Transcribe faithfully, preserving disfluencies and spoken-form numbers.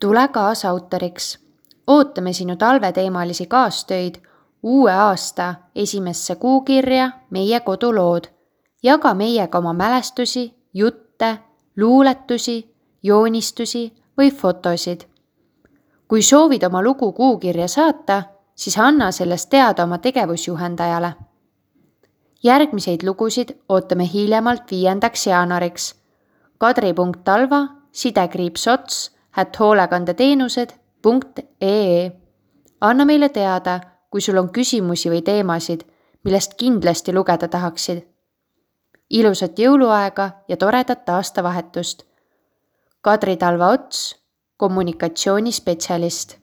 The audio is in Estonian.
Tule kaasautoriks. Ootame sinu talveteemalisi kaastöid uue aasta esimesse kuukirja Meie kodulood. Jaga meiega oma mälestusi, jutte, luuletusi, joonistusi või fotosid. Kui soovid oma lugu kuukirja saata, siis anna sellest teada oma tegevusjuhendajale. Järgmiseid lugusid ootame hiljemalt viiendaks jaanuariks. kadri.talva sidekriipsots at hoolekandeteenused punkt ee. Anna meile teada, kui sul on küsimusi või teemasid, millest kindlasti lugeda tahaksid. Ilusat jõuluaega ja toredat aastavahetust. Kadri Talva Ots, kommunikatsioonispetsialist.